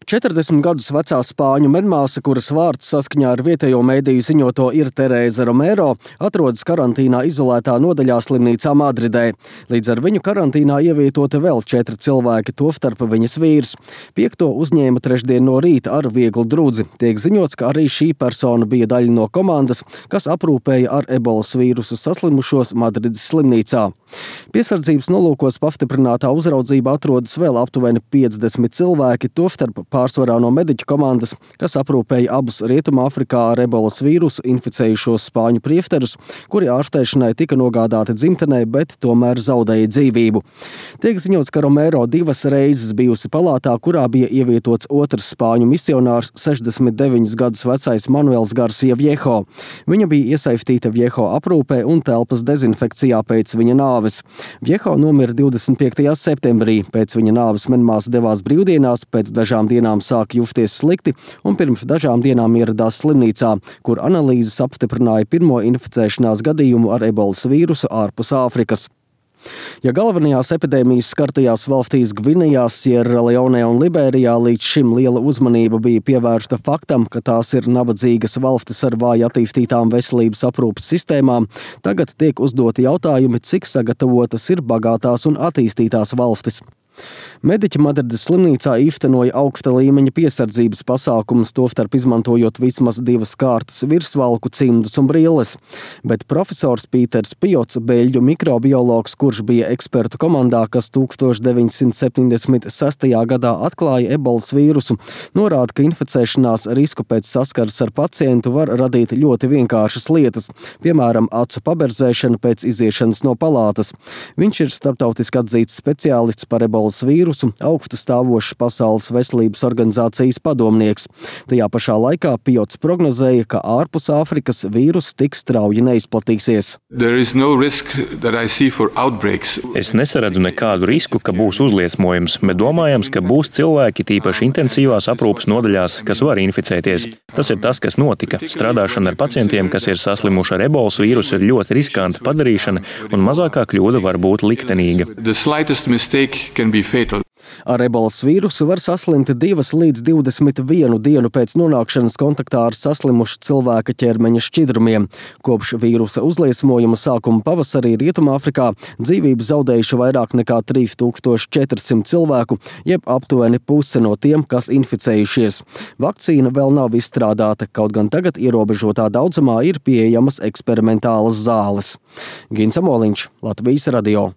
40 gadus vecā spāņu medmāsa, kuras vārds saskaņā ar vietējo mēdīju ziņoto ir Terēza Romero, atrodas karantīnā izolētā nodaļā slimnīcā Madridē. Līdz ar viņu karantīnā ievietoti vēl 4 cilvēki, tostarp viņas vīrs. 5. uzņēma trešdien no rīta ar vieglu drudzi. Tiek ziņots, ka arī šī persona bija daļa no komandas, kas aprūpēja ar ebolas vīrusu saslimušos Madrides slimnīcā. Piesardzības nolūkos pastiprinātā uzraudzība atrodas vēl aptuveni 50 cilvēki, tostarp pārsvarā no mediķu komandas, kas aprūpēja abus Rietumāfrikā ar ebolas vīrusu inficējušos spāņu priefterus, kuri ārstēšanai tika nogādāti dzimtenē, bet tomēr zaudēja dzīvību. Tiek ziņots, ka Romero 2 reizes bijusi palātā, kurā bija ievietots otrs spāņu misionārs 69 gadus vecais Manuels Garcia Viejo. Viņa bija iesaistīta Viejo aprūpē un telpas dezinfekcijā pēc viņa nāves. Viejo nomira 25. septembrī. Pēc viņa nāves medmāsa devās brīvdienās, pēc dažām dienām sāka justies slikti un pirms dažām dienām ieradās slimnīcā, kur analīzes apstiprināja pirmo inficēšanās gadījumu ar ebolas vīrusu ārpus Āfrikas. Ja galvenajās epidēmijas skartajās valstīs Gvinejā, Sierra Leone un Liberijā līdz šim liela uzmanība bija pievērsta faktam, ka tās ir nabadzīgas valstis ar vāji attīstītām veselības aprūpes sistēmām, tagad tiek uzdoti jautājumi, cik sagatavotas ir bagātās un attīstītās valstis. Mediķi Madrides slimnīcā īstenoja augsta līmeņa piesardzības pasākumus, tostarp izmantojot vismaz 2 kārtas virsvalku, cimdus un brilles. Bet profesors Pīters Piots, beļģu mikrobiologs, kurš bija ekspertu komandā, kas 1976. gadā atklāja ebolas vīrusu, norāda, ka inficēšanās risku pēc saskares ar pacientu var radīt ļoti vienkāršas lietas, piemēram, acu paberzēšana pēc iziešanas no palātas. Viņš ir starptautiski atzīts speciālists par ebolas vīrusu, augstu stāvošs Pasaules veselības organizācijas padomnieks. Tajā pašā laikā Piots prognozēja, ka ārpus Āfrikas vīrus tik strauji neizplatīsies. Es nesaredzu nekādu risku, ka būs uzliesmojums, bet domājams, ka būs cilvēki, tīpaši intensīvās aprūpes nodaļās, kas var inficēties. Tas ir tas, kas notika. Strādāšana ar pacientiem, kas ir saslimuši ar ebolas vīrusu, ir ļoti riskanta padarīšana, un mazākā kļūda var būt liktenīga. Ar ebolas vīrusu var saslimt 2 līdz 21 dienu pēc nonākšanas kontaktā ar saslimušu cilvēka ķermeņa šķidrumiem. Kopš vīrusa uzliesmojuma sākuma pavasarī Rietumāfrikā dzīvību zaudējuši vairāk nekā 3400 cilvēku, jeb aptuveni puse no tiem, kas inficējušies. Vakcīna vēl nav izstrādāta, kaut gan tagad ierobežotā daudzumā ir pieejamas eksperimentālas zāles. Gins Amoliņš, Latvijas radio.